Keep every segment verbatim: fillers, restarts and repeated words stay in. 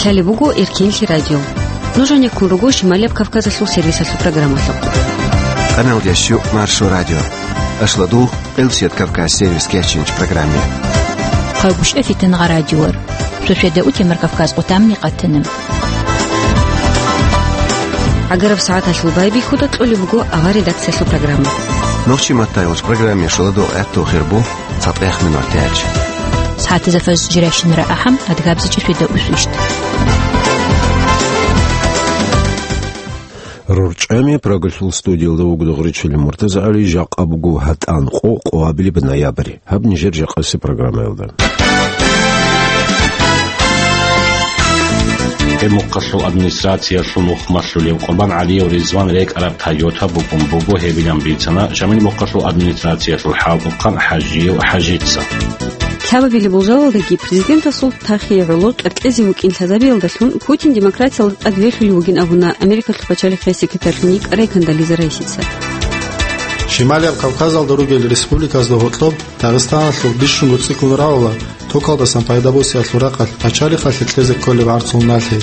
Гьале буго Эркенлъи радио. Нуж гьанеккун руго Шималияб Кавказалъул сервисалъул программалъухъ. Къаналдящу Маршо радио. Ашладул, Элсет Кавказ сервис кечинч программе. Хъагушев Фитангъа радиор. Сосведа утемар Кавказ къутамни къатана. ГӀагараб сагӀаталъул байбихьуда кьолеб буго авар редакциялъул программа. Нохчи маттайолч программе шоладо гӀатту хирбу цатӀех минут тяч. СагӀатазда фаз жиращинара ахӀам, адгабзичӀи сосведа усвищ. РорчӀами Прагалъул студиялда вуго Дагъричилин МуртазагӀали, жакъа буго гьатӀан къо, къоабилеб ноябрь. Гьаб нижер жакъаси программаялда. Гьеб мухъалъул администрациялъул мухъ малъулев Къурбан ГӀалиев Ризван рекӀараб Тойота букӀун буго, гьебилан бицана Шамил мухъалъул администрациялъул хӀалтӀухъан ХӀажиев ХӀажица. Лъабабилеб болжалалдаги президентасул тахие гӀоло кьеркьезе вукӀин лъазабиялдалъун Путин демократиялда тӀадвелъулев вугин абуна Америкалъул пачалихъе секретарьлъун йикӀа Рейкан Дализа Райсица. Шималияб Кавказалда ругел республиказда гьоркьоб Дагъистаналъул бищунго цӀикӀкӀун равала токалдасан пайдабосиялъул рахъалъ пачалихъалъе кьезе кколеб гӀарцул налъи.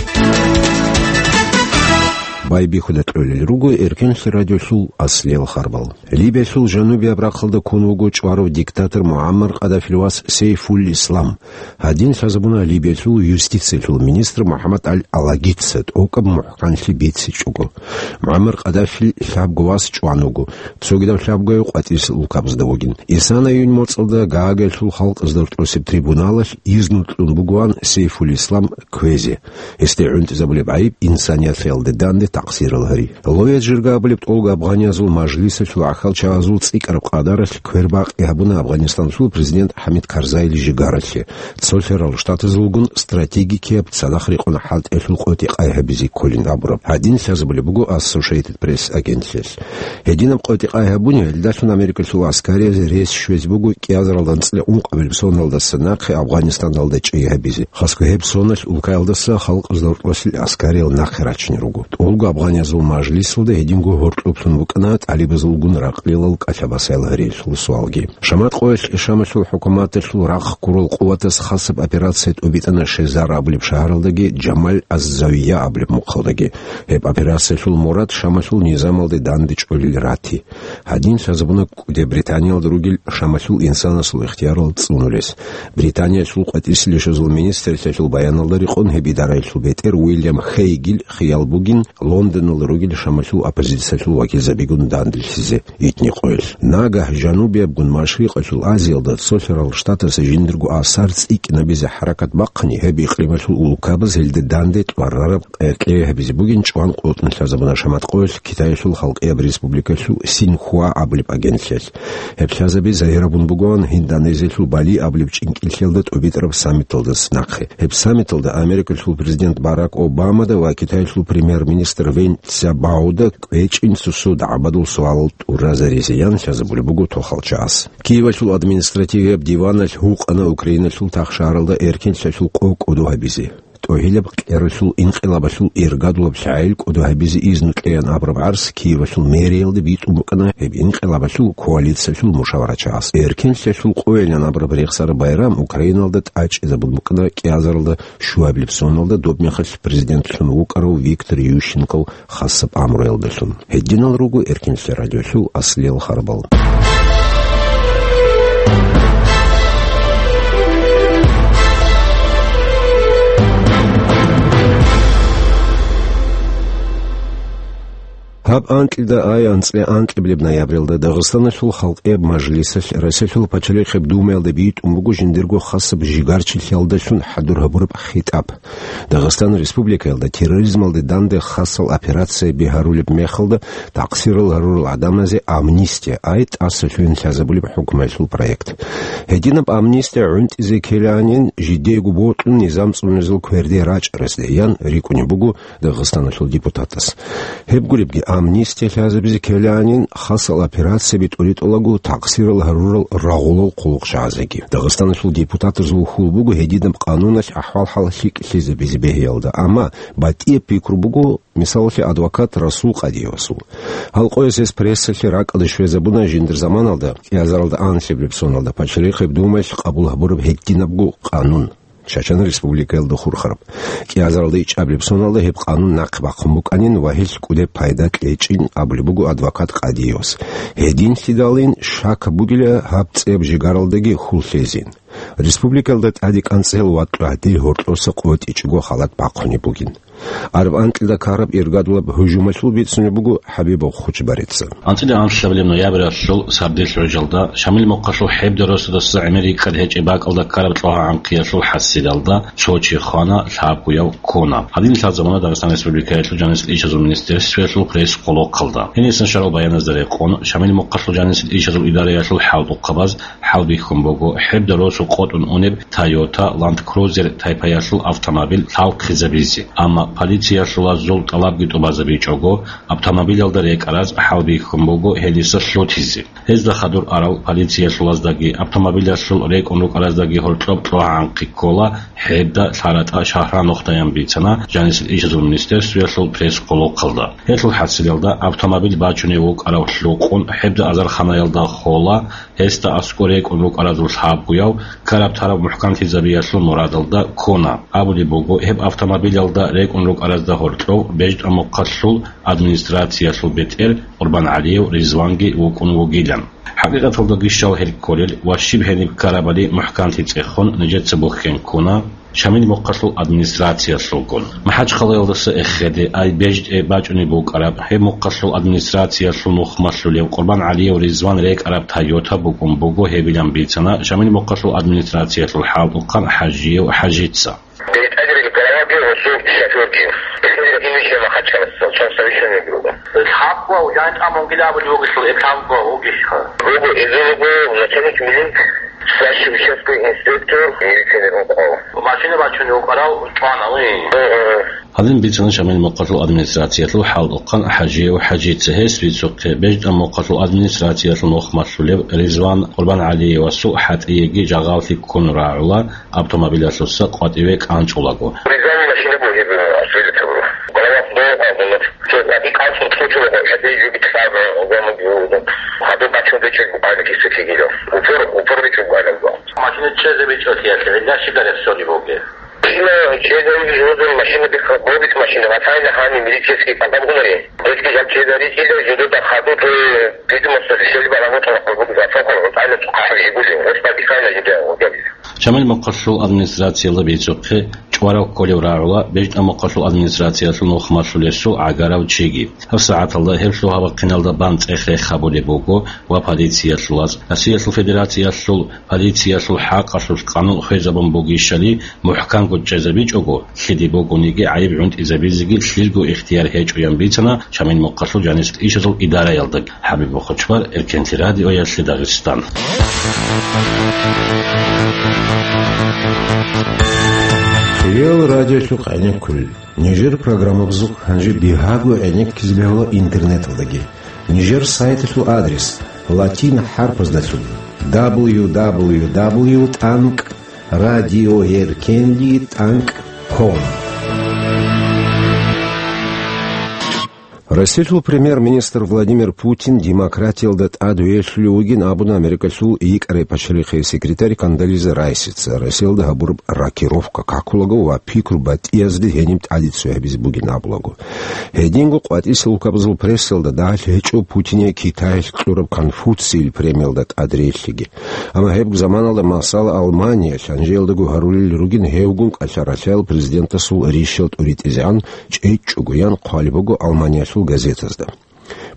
Байбихьуда кьолел руго Эркенлъи радиолъул аслиял харбал. Либиялъул жанубияб рахъалда ккун вуго чӀварав диктатор МугӀаммар Къаддафил вас Сейфул Ислам. Гьадин лъазабуна Либиялъул юстициялъул министр МухӀаммад Аль-Алагица тӀокӀаб мухӀканлъи бицичӀого. МугӀаммар Къаддафил лъабго вас чӀван вуго, цогидав лъабгояв къватӀирсел улкабазда вугин. Исана июнь моцӀалда Гаагаялъул халкъазда рокьосеб трибуналалъ изну кьун бугоан Сейфул Ислам кквезе. Гьесде гӀунтӀизабулеб гӀайиб инсанияталде данде такъсирал гьари. Ловец Жирга абулеб тӀолго афганязул мажлисалъул гӀахьалчагӀазул цӀикӀкӀараб къадаралъ квербакъи гьабуна Афганистаналъул президент ХӀамид Карзайил жигаралъе. Цолъарал Штатазулгун стратегикияб цадахъ рекъон хӀалтӀиялъул къотӀи-къай гьабизе кколин абураб. Гьадин лъазабулеб буго Associated Press агентлъиялъ. Гьединаб къотӀи-къай гьабуни, гьелдалъун Америкалъул аскарияб рес щвезе буго кӀиазаралда анцӀила ункъабилеб соналдаса нахъе Афганистаналда чӀей гьабизе. Хасго гьеб соналъ улкаялдаса халкъазда рокьосел аскариял нахъе рачине руго. ТӀолго афганязул мажлисалда гьединго гьоркьоблъун букӀана тӀалибазулгун ракълилал кӀалъабасаял гьариялъул суалги. Шамат къоялъ Шамалъул хӀукуматалъул рахъ ккурал къуватаз хасаб операция тӀубитӀана Шезар абулеб шагьаралдаги Джамал аз-Завия абулеб мухъалдаги. Гьеб операциялъул мурад Шамалъул низамалде данде чӀолел рати. Гьадин лъазабуна кӀуди Британиялда ругел Шамалъул инсанасул ихтиярал цӀунулес. Британиялъул къватӀирсилищазул министрлъиялъул баяналда рекъон гьеб идараялъул бетӀер Уильям Хейгил хиял бугин Лондоналда ругел Шамалъул оппозициялъул вакилзабигун данделъизе итни къоялъ. Нагагь жанубиябгун Машрикъалъул Азиялда цолъарал штатаса жиндирго асар цӀикӀкӀинабизе хӀаракат бахъани, гьеб икълималъул улкабаз гьелде данде тӀварараб къеркьей гьабизе бугин чӀван къотӀун лъазабуна Шамат къоялъ Китаялъул Халкъияб Республикалъул Синьхуа абулеб агентлъиялъ. Гьеб лъазаби загьирабун бугоан Гьиндонезиялъул Бали абулеб чӀинкӀиллъиялда тӀубитӀараб саммиталдаса нахъе. Гьеб саммиталда Америкалъул президент Барак Обамада ва Китаялъул премьер-министр Вэнь Цзябаода кӀвечӀин цо-цо дагӀбадул суалал тӀуразаризе ян лъазабулеб буго тохалчагӀаз. Киевалъул административияб диваналъ гьукъана Украиналъул тахшаралда эркенлъиялъул къо кӀодо гьабизе. ТӀогьилаб кьералъул инкъилабалъул иргадулаб лъагӀел кӀодо гьабизе изну кьеян абураб гӀарс Киевалъул мэриялда битӀун букӀана гьеб инкъилабалъул коалициялъул мушаварачагӀаз. Эркенлъиялъул къойилан абураб рехсараб байрам Украиналда тӀачӀизабун букӀана кӀиазаралда щуабилеб соналда, доб мехалъ президентлъун вукӀарав Виктор Ющенков хасаб амруялдалъун. Гьединал руго Эркенлъи радиолъул аслиял харбал. Гьаб анкьида ай анцӀила анкьабилеб ноябралда Дагъистаналъул Халкъияб Мажлисалъ Россиялъул Пачалихъеб Думаялда битӀун буго жиндирго хасаб жигарчилъиялдалъун хӀадур гьабураб хитӀаб. Дагъистан Республикаялда терроризмалде данде хасал операцияби гьарулеб мехалда такъсирал гьарурал гӀадамазе амнистия, ай тӀаса лъугӀин лъазабулеб хӀукуматалъул проект. Гьединаб амнистия гӀунтӀизе ккелаанин жидеего бокьун низам цӀунезул кверде рачӀарасде ян рикӀкӀунеб буго Дагъистаналъул депутатас. Гьеб гуребги, амнистия лъазабизе ккелаанин хасал операцияби тӀуритӀулаго такъсирал гьарурал рагъулал хъулухъчагӀазеги. Дагъистаналъул депутатазул хьул буго гьединаб къануналъ ахӀвал-хӀал лъикӀлъизабизе бегьиялда, амма батӀияб пикру буго, мисалалъе, адвокат Расул Къадиевасул. Гьал къояс гьес прессалъе ракӀалде щвезабуна жиндир заманалда, кӀиазаралда анлъабилеб соналда, Пачалихъеб Думаялъ къабул гьабураб гьединабго къанун. Чачан Республикаялда хурхараб. КӀиазаралда ичӀабилеб соналда гьеб къанун нахъе бахъун букӀанин ва гьелъ кӀудеб пайда кьечӀин абулеб буго адвокат Къадиевас. Гьединлъидалин шак бугила гьаб цӀияб жигаралдаги хьул лъезин. Республикаялда тӀаде кӀанцӀел ва гӀадил гьоркьоса къотӀичӀого халат бахъунеб бугин. Араб анкьида ккараб иргадулаб гьужумалъул бицунеб буго ХӀабибов Хучбарица. АнцӀила анлъабилеб ноябралъул сардилъ гӀужалда Шамил мухъалъул ХӀебда росудаса гӀемер рикӀкӀад гьечӀеб бакӀалда ккараб ЦӀогьа-ГӀанкъиялъул хӀасилалда цо чи хвана, лъабгояв ккуна. Гьадинлъаб замана Дагъистан Республикаялъул жанисел ишазул министерствоялъул пресс-къолохъалда. Гьенисан щварал баяназда рекъон, Шамил мухъалъул жанисел ишазул идараялъул хӀалтӀухъабаз хӀалбихьун буго ХӀебда росу къотӀун унеб Toyota Land Cruiser тайпаялъул автомобиль лъалхъизабизе, амма полициялъулазул тӀалабги тӀубазабичӀого, автомобилялда рекӀараз хӀалбихьун буго гьелиса лъутизе. Гьезда хадур арал полициялъулаздаги автомобилялъул рекӀун рукӀараздаги гьоркьоб ЦӀогьа-ГӀанкъи ккола, ХӀебда, ЛъаратӀа, Шагьран нухда, ян бицана жанисел ишазул министерствоялъул пресс-къолохъалда. Гьелъул хӀасилалда автомобиль бачунев вукӀарав лъукъун ХӀебда азарханаялда хола, гьесда аскӀор рекӀун рукӀаразул лъабгояв ккараб-тараб мухӀканлъизабиялъул мурадалда ккуна. Абулеб буго, гьеб автомобилялда рекӀун рукӀаразда гьоркьов БежтӀамухъалъул администрациялъул бетӀер КъурбангӀалиев Ризванги вукӀун вугилан. ХӀакъикъаталдаги щал гьел кколел ва щиб гьениб ккарабали мухӀканлъи цӀехун нижеца бухьен ккуна Шамил мухъалъул администрациялъулгун. МахӀачхъалаялдаса эхеде, ай БежтӀе бачӀунеб букӀараб, гьеб мухъалъул администрациялъул нухмалъулев КъурбангӀалиев Ризван рекӀараб Toyota букӀун буго гьебилан бицана Шамил мухъалъул администрациялъул хӀалтӀухъан ХӀажиев ХӀажица. БетӀерил гӀалаби гьесул шофёрги. Гьел имишлъи Махачкаласа, цо совещание буго. Лъабго, жан тӀамунгила абулев вугелъул, эблъабго вугищха? Буго, эзул буго начальник милиции, старший участковый инспектор, милиционер вукӀарав. Машина бачунев вукӀарав чӀвана, уй. Гье, гье. Гьадин бицана Шамил мухъалъул администрациялъул хӀалтӀухъан ХӀажиев ХӀажица, гьес бицухъе, БежтӀамухъалъул администрациялъул нухмалъулев Ризван КъурбангӀалиевасул хӀатӀиеги жагъаллъи ккун рагӀула, автомобилалъуса къватӀиве кӀанчӀулаго. Ризани машина бугеб, э, асфальт буго. Голова здоровая была. Всё, один калцин случай, хотя и любит сам, э, дома, э, хадур бачун вечер буквально кисти кигило. Упор, упор вечер буквально был. Машина чезе бичӀо тиялъе, гьелда щибараб сони бугеб? Машина чезе, машина бихха, бобит машина, ватайна хани милицейский подогнали. Если я чезе рисида, жидута хадур, э, видимость, решили барагут, хадур, зафокал, вот айна тухахал жигули, вот подихайна жида, вот я вижу. Шамил мухъалъул администрациялда бицухъе чӀварав кколев рагӀула БежтӀамухъалъул администрациялъул нухмалъулесул гӀагарав чиги. ГьабсагӀаталда гьеб лъугьа-бахъиналда бан цӀех-рех гьабулеб буго ва полициялъулаз, Россиялъул Федерациялъул полициялъул хӀакъалъулъ къанун хвезабун бугищали, мухӀканго чӀезабичӀого, лъиде бугониги гӀайиб гӀунтӀизабизеги лъилго ихтияр гьечӀо, ян бицана Шамил мухъалъул жанисел ишазул идараялда. ХӀабиб Бухучбар, Эркенлъи радиоялъе Дагъистан. Хириял радиолъухъ гӀенеккулел. Нижер программабазухъ гьанже бигьаго гӀенеккизе бегьула интернеталдаги. Нижер сайталъул адрес латин хӀарпаздалъун: дабл ю дабл ю дабл ю тӀанкӀ радиоэркенлъи тӀанкӀ ком. Россиялъул премьер-министр Владимир Путин демократиялда тӀадвелъулев вугин абуна Америкалъул йикӀарай пачалихъей секретарь Кондолиза Райсица, Россиялда гьабураб рокировка какулаго ва пикру батӀиязде гьениб тӀаде цо гьабизе бугин абулаго. Гьединго къватӀисел улкабазул прессалда дагьалъ гьечӀо Путине Китаялъ кьураб Конфуцийил премиялда тӀадрелъиги. Амма гьеб заманалда, масала, Алманиялъ гьанжеялдаго гьарулел ругин гьевгун кӀалъа-ралъаял президентасул рищал тӀуритӀизегӀан чӀечӀого ян хъвалеб буго Алманиялъул газетазда.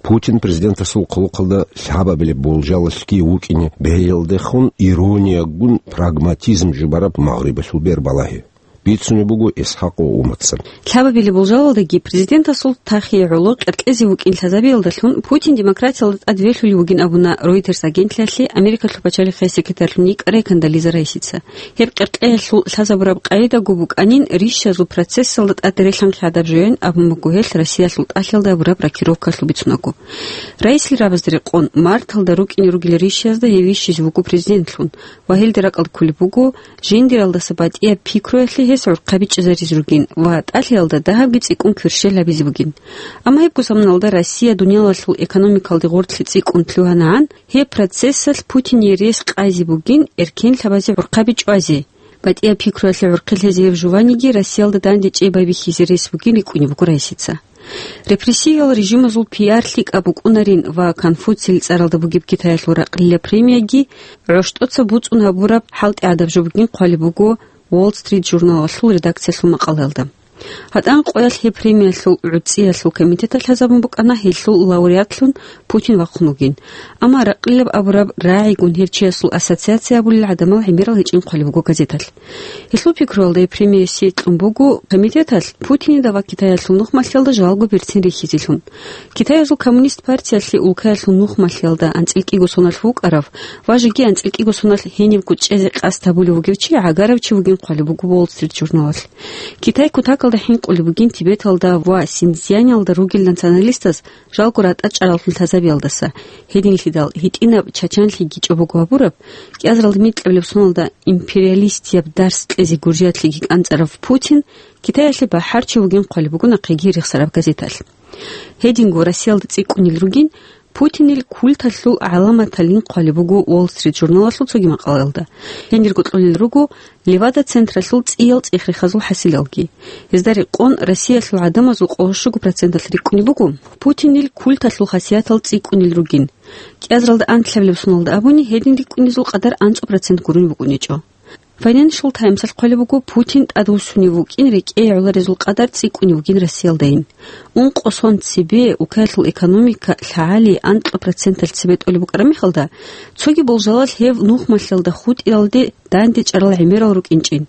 Путин президентасул хъулухъалда лъабабилеб болжалалъги вукӀине бегьиялдехун ирониягун прагматизм жубараб Магърибалъул бер балагье. Бицунеб буго Исхакъов Уматца. Лъабабилеб болжалалдаги президентасул тахие гӀоло къеркьезе вукӀин лъазабиялдалъун Путин демократиялда тӀадвелъулев вугин абуна Reuters агентлъиялъе Америкалъул пачалихъей секретарьлъун йикӀарай Кондолиза Райсица. Гьеб къеркьеялъул лъазабураб къагӀидаго букӀанин рищазул процессалда тӀаде релъанхъи гӀадаб жоян абун буго гьелъ Россиялъул тӀалъиялда гьабураб рокировкалъул бицунаго. Райсил рабазда рекъон, марталда рукӀине ругел рищазда гьев вищизе вуго президентлъун ва гьелде ракӀалде кколеб буго, жиндиралдаса батӀияб пикруялъе гьес гӀурхъаби чӀезаризе ругин ва тӀалъиялда дагьабги цӀикӀкӀун кверщел гьабизе бугин. Амма гьебго заманалда Россия дуниялалъул экономикалде гъорлъе цӀикӀкӀун лъугьанагӀан, гьеб процессалъ Путиние рес къайзе бугин эркенлъабазе гӀурхъаби чӀвазе. БатӀияб пикруялъе гӀурхъи лъезе гьеб жуваниги Россиялда дандечӀей байбихьизе рес бугин рикӀкӀунеб буго раисица. Репрессиял режимазул пиар лъикӀаб букӀунарин ва Конфуцийил цӀаралда бугеб Китаялъул ракълила премияги гӀощтӀоца буцӀцӀун гьабураб хӀалтӀи гӀадаб жо бугин хъвалеб буго Wall Street журналалъул редакциялъул макъалаялда. ГьатӀан къоялъ гьеб премиялъул гӀуцӀиялъул комитеталъ лъазабун букӀана гьелъул лауреатлъун Путин вахъун вугин. Амма ракълилаб абураб рагӀигун гьев чиясул ассоциация абулел гӀадамал гӀемерал гьечӀин хъвалеб буго газеталъ. Гьелъул пикруялда гьеб премия сикьун буго комитеталъ Путинида ва Китаялъул нухмалъиялда жалго берцин рихьизелъун. Китаязул коммунист партиялъе улкаялъул нухмалъиялда анцӀил кӀиго соналъ вукӀарав ва жеги анцӀил кӀиго соналъ гьенибго чӀезе къасд гьабулев вугев чи гӀагарав чи вугин хъвалеб буго Wall Street журналалъ. Китай кутакалда хӀинкъулеб бугин Тибеталда ва Синьцзяньалда ругел националистаз жалго ратӀа чӀараллъун лъазабиялдаса, гьединлъидал гьитӀинаб чачанлъиги чӀобого гьабураб, кӀиазаралда микьабилеб соналда империалистияб дарс кьезе гуржиялъеги кӀанцӀарав Путин Китаялъе бахӀарчи вугин хъвалеб буго нахъеги рехсараб газеталъ. Гьединго Россиялда цӀикӀкӀунел ругин Путинил культалъул гӀаламаталин хъвалеб буго Wall Street журналалъул цоги макъалаялда. Гьенирго кьолел руго Левада-централъул цӀиял цӀех-рехазул хӀасилалги. Гьезда рекъон Россиялъул гӀадамазул къоло щуго проценталъ рикӀкӀунеб буго Путинил культалъул хасиятал цӀикӀкӀунел ругин. КӀиазаралда анлъабилеб соналда абуни, гьедин рикӀкӀунезул къадар анцӀу процент гурун букӀунечӀо. Financial Times-алъ хъвалеб буго Путин тӀадвуссунев вукӀин рекӀее гӀоларезул къадар цӀикӀкӀунев вугин Россиялдайин. Ункъо сон цебе улкаялъул экономика лъагӀали анкьа проценталъ цебе тӀолеб букӀараб мехалда, цоги болжалалъ гьев нухмалъиялда хутӀиялде дандечӀарал гӀемерал рукӀинчӀин.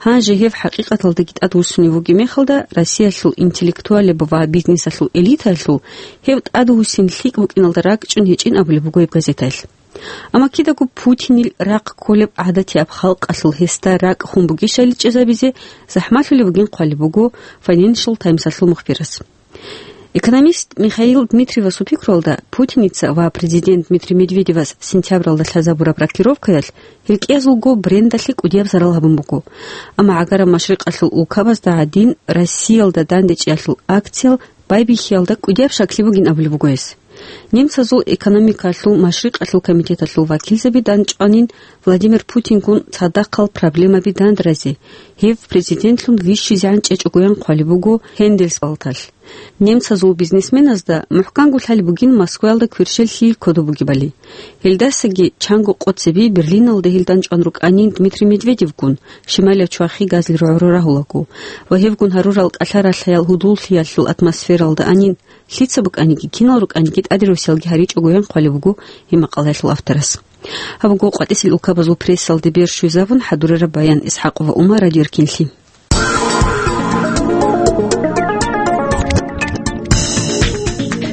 Гьанже гьев хӀакъикъаталдаги тӀадвуссунев вугеб мехалда, Россиялъул интеллектуалеб ва бизнесалъул элитаялъул гьев тӀадвуссин лъикӀ букӀиналда ракӀчӀун гьечӀин абулеб буго гьеб газетаялъ. Амма кидаго Путинил рахъ кколеб гӀадатияб халкъалъул гьесда ракӀ хун бугищали чӀезабизе захӀмалъулеб бугин хъвалеб буго Financial Times-алъул мухбирас. Экономист Михаил Дмитриевасул пикруялда, Путиница ва президент Дмитрий Медведевас сентябралда лъазабураб рокировкаялъ гьел кӀиязулго брендалъе кӀудияб зарал гьабун буго. Амма гӀагараб машрикъалъул улкабазда гӀадин, Россиялда дандечӀиялъул акциял байбихьиялда кӀудияб щаклъи бугин абулеб буго гьес. Немцазул экономикалъул машрикъалъул комитеталъул вакилзаби данчӀванин Владимир Путингун цадахъал проблемаби дандразе, гьев президентлъун вищизегӀан чӀечӀогоян хъвалеб буго Хендельсбалталъ. Немцазул бизнесменазда мухӀканго лъалеб бугин Москваялда кверщел лъил кодоб бугебали. Гьелдасаги чанго къо цебе Берлиналда гьел данчӀван рукӀанин Дмитрий Медведевгун, шималияб чвахи газлил гӀоро рагьулаго, ва гьевгун гьарурал кӀалъа-ралъаял гьудуллъиялъул атмосфералда анин, лъица букӀаниги, кинал рукӀаниги тӀадирусиялги гьаричӀогоян хъвалеб буго гьеб макъалаялъул авторас. Гьаб буго къватӀисел улкабазул прессалде бер щвезабун хӀадурараб Баян ИсхӀакъова Умар, Радио Эркинлъи.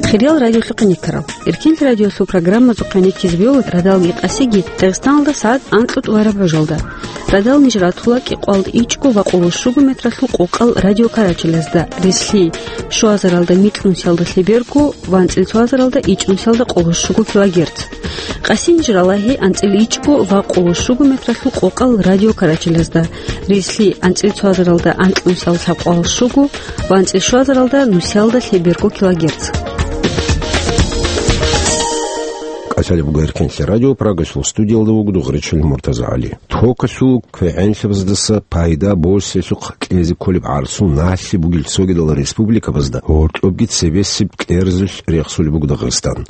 Хириял радиолъухъе никарал, Эркинлъи радиолъул программазухъе никизе бегьула радалги къасиги Дагъистаналда сагӀат анкьго тӀураб гӀужалда. Радал ниж ратула кӀикъоялда ичӀго ва къоло щуго метралъул къокъал радиокарачелазда, рилълъи щуазаралда микьнусиялда лъеберго ва анцӀила цоазаралда ичӀнусиялда къоло щуго килогерц. Къаси ниж ралагьи анцӀила ичӀго ва къоло щуго метралъул къокъал радиокарачелазда, рилълъи анцӀила цоазаралда анкьнусиялда лъабкъоялда щуго ва анцӀила щуазаралда нусиялда лъеберго килогерц. КӀалъалеб буго Эркинлъи радио, Прагасул студиялда вуго дугъричӀел МуртазагӀали. Токалъул квегӀенлъабаздаса пайда босиялъухъ кьезе кколеб гӀарцул налъи бугел цогидал республикабазда гьоркьобги цебесеб кьерзулъ рехсулеб буго Дагъистан.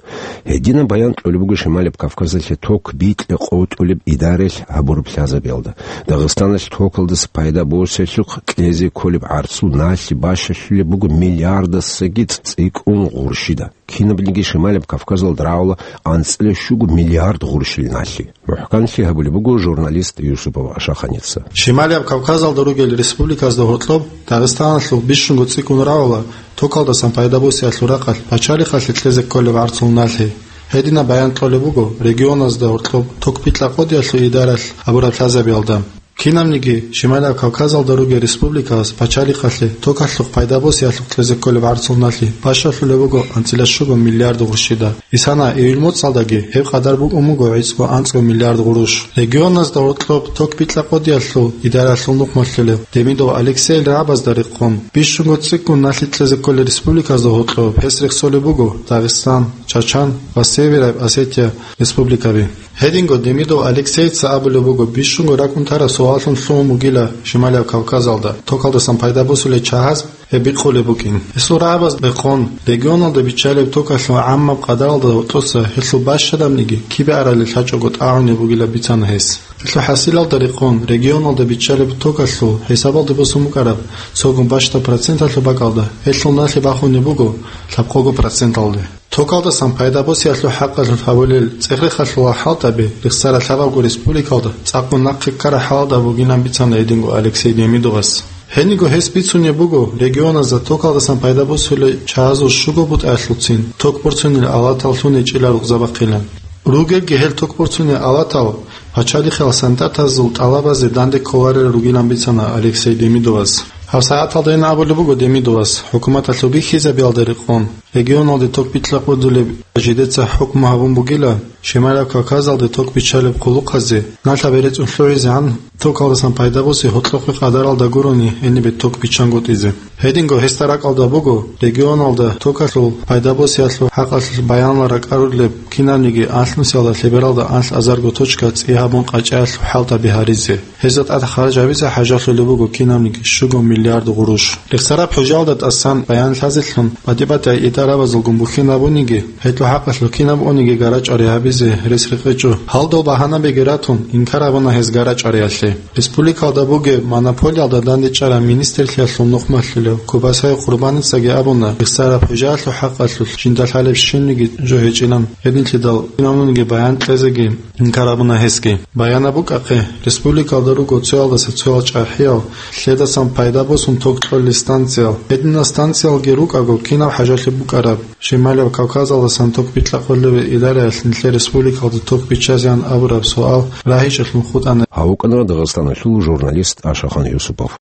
Гьединаб баян кьолеб буго Шималаб Кавказалъе ток бикьа къотӀулеб идаралъ гьабураб лъазабиялда. Дагъистаналъ токалдаса пайда босиялъухъ кьезе кколеб гӀарцул налъи бащалъулеб буго миллиардасаги цӀикӀкӀун гъурщида. Кинабниги Шималаб Кавказалда рагӀула анцӀила щуго миллиард гъурщил налъи. МухӀканлъи гьабулеб буго журналист Юсупов Ашаханица. Шималаб Кавказалда ругел республиказда гьоркьоб Дагъистаналъухъ бищунго цӀикӀкӀун рагӀула токалдасан пайда босиялъул рахъалъ пачалихъалъе кьезе кколеб гӀарцул налъи. Гьединаб баян кьолеб буго регионазда гьоркьоб ток бикьа къотӀиялъул идаралъ гьабураб лъазабиялда. Кинабниги Шималаб Кавказалда ругел республикабаз пачалихъалъе токалъухъ пайда босиялъухъ кьезе кколеб гӀарцул налъи бащалъулеб буго анцӀила щуго миллиард гъурщида. Исана июль моцӀалдаги гьеб къадар букӀун буго гӀицӀго анцӀго миллиард гъурущ. Регионазда гьоркьоб ток бикьа къотӀиялъул идаралъул нухмалъулев Демидов Алексейил рагӀабазда рекъон, бищунго цӀикӀкӀун налъи кьезе кколел республиказда гьоркьоб гьес рехсолеб буго Дагъистан, Чачан ва Севераб Осетия республикаби. Гьединго Демидов Алексейица абулеб буго, бищунго ракӀун тараб суаллъун лъугьун бугила Шималияб Кавказалда токалдасан пайда босулел чагьаз гьеб бикъулеб букӀин. Гьесул рагӀабаз рекъон, регионалда биччалеб токалъул гӀаммаб къадаралда гьоркьоса гьелъул бащадабниги кибе арали лъачӀого тӀагӀунеб бугилан бицана гьес. Гьелъул хӀасилалда рекъон, регионалда биччалеб токалъул хӀисабалде босун букӀараб цогун бащдаб проценталъул бакӀалда гьелъул налъи бахунеб буго лъабкъого проценталде. Токалдасан пайда босиялъул хӀакъалъулъ гьабулел цӀех-рехалъул хӀалтӀаби рехсараб лъабабго республикалда цӀакъго нахъе ккараб хӀалалда бугилан бицана гьединго Алексей Демидовас. Гьениго гьес бицунеб буго, регионазда токалдасан пайда босулел чагьазул щуго бутӀаялъулцин ток борцунел алатал лъун гьечӀила рукъзабахъилан. Ругелги гьел ток борцунел алатал пачалихъал солдатазул тӀалабазе данде кколарел ругилан бицана Алексей Демидовас. Гьаб сагӀаталда гьениб абулеб буго Демидовас, хӀукуматалъул бихьизабиялда рекъон, регионалде ток бикьа-къудулеб жидеца хӀукму гьабун бугила, Шималияб Кавказалде ток биччалеб къулухъазе налъаб рецӀун лъугӀизегӀан токалдасан пайда босе гьоркьохъе къадаралда гурони гьенибе ток биччангутӀизе. Гьединго гьесда ракӀалда буго, регионалда токалъул пайда босиялъул хӀакъалъулъ баянал ракӀарулеб кинабниги анлънусиялда лъебералда анлъазарго точка цӀи гьабун къачӀаялъул хӀалтӀаби гьаризе. Гьезда тӀад харж гьабизе хӀажалъулеб буго кинабниги щуго миллиард гъурущ. Рехсараб хӀужалда тӀасан баян лъазелъун, батӀи-батӀияй идарабазулгун бухьинабуниги, гьелъул хӀакъалъулъ кинаб униги гарачӀари гьабизе рес рекъечӀо. Гьалдал багьанабиги ратун, инкар гьабуна гьез гарачӀариялъе. Республикалда бугеб монополиялда дандечӀараб министрлъиялъул нухмалъулев Кубасай Къурбаницаги абуна, рехсараб хӀужалъул хӀакъалъулъ жинда лъалеб щибниги жо гьечӀилан, гьединлъидал кинабниги баян кьезеги инкар гьабуна гьесги. Баянаб букӀахъе, республикалда руго цоялдаса цоял чӀахӀиял, лъедасан пайда босун ток кьолел станциял. Гьединал станциялги рукӀаго кинаб хӀажалъи букӀараб, Шималияб Кавказалдасан ток бикьа-къулеве идараялъ нилъер республикалда ток биччазеян абураб суал рагьичӀелъун хутӀана. Гьав вукӀана Дагъистаналъул журналист Ашахан Юсупов.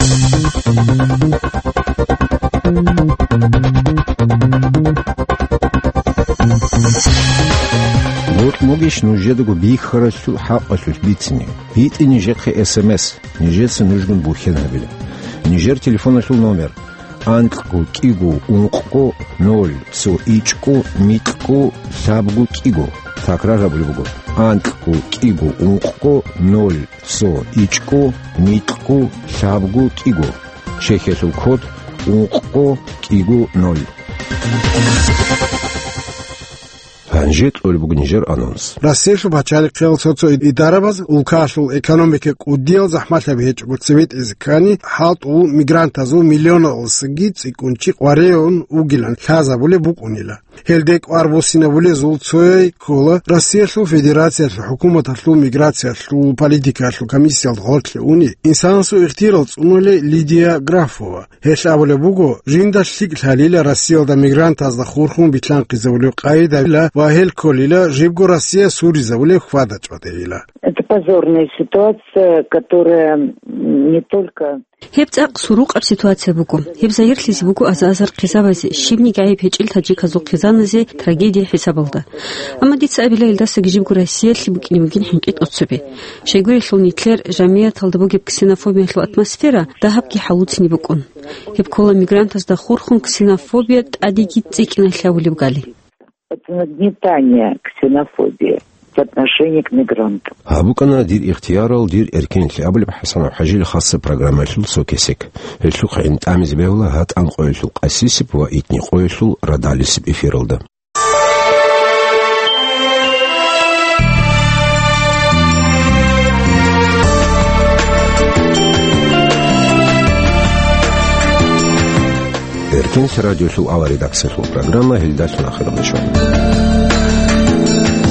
Гьоркь могищ нужедаго бихьаралъул хӀакъалъулъ бицине? БитӀе нижехъе эс эм эс, нижеца нужгун бухьен гьабила. Нижер телефоналъул номер: анкьго кӀиго ункъго ноль цо ичӀго микьго лъабго кӀиго. Такрар гьабулеб буго: анкьго кӀиго ункъго ноль цо ичӀго микьго лъабго кӀиго. Чехиялъул код: ункъго кӀиго ноль. Гьанже кьолеб буго нижер анонс. Россиялъул пачалихъиял цо-цо идарабаз улкаялъул экономика кӀудиял захӀмалъаби гьечӀого цебетӀизе ккани, хӀалтӀул мигрантазул миллионалдасаги цӀикӀкӀун чи къваригӀун вугилан лъазабулеб букӀунила. Гьелде кӀвар буссинабулезул цояй ккола Россиялъул Федерациялъул хӀукуматалъул миграциялъул политикаялъул комиссиялда гъорлъе уни, инсанасул ихтияр цӀунулей Лидия Графова. Гьелъ абулеб буго, жинда лъикӀ лъалила Россиялда мигрантазда хурхун билълъанхъизабулеб къайдабила ва гьел кколила жибго Россия суризабулеб хьвада-чӀвадайила. Это позорная ситуация, которая, м, не только... Гьеб цӀакъ сурукъаб ситуация буго. Гьеб загьирлъизе буго аза-азар хъизабазе, щибниги гӀайиб гьечӀел таджиказул хъизаназе трагедия хӀисабалда. Амма дица абила, илдасаги жибго Россиялъе букӀине бугин хӀинкъи-тӀоцебе. Щайгурелъул нилъер жамигӀаталда бугеб ксенофобиялъул атмосфера дагьабги хӀалуцин букӀун. Гьеб ккола мигрантазда хурхун ксенофобия тӀадеги цӀикӀкӀиналъ гьавулеб гали. Это нагнетание ксенофобии в отношении к мигрантам. Гьаб букӀана «Дир ихтиярал, дир эркенлъи» абулеб ХӀасанов ХӀажил хасаб программаялъул цо кесек. Гьелъухъ гӀин тӀамизе бегьула гьатӀан къоялъул къасисеб ва итни къоялъул радалисеб эфиралда. Эркенлъи радиолъул авал редакциялъул программа гьелдалъун ахиралде щвана.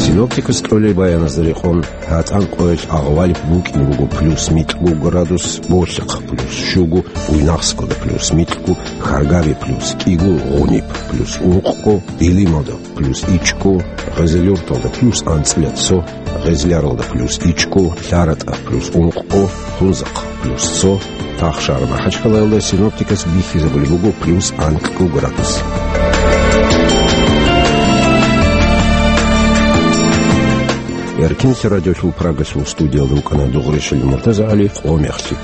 Синоптикас кьолел баяназда рекъон, гьатӀан къоялъ агъвалиб букӀин буго плюс микьго градус, болъихъ плюс щуго, Буйнакскалда плюс микьго, Хьаргаби плюс кӀиго, Гъуниб плюс ункъго, Билималда плюс ичӀго, Гъезелюрталда плюс анцӀила цо, Гъезляралда плюс ичӀго, ЛъаратӀа плюс ункъго, Хунзахъ плюс цо, Ахшар-МахӀачхъалаялда синоптикас бихьизабулеб буго плюс анкьго градус. Эркенлъи радиолъул Прагалъул студиялда вукӀана Дугъришил МуртазагӀали, «Къо мехлъи».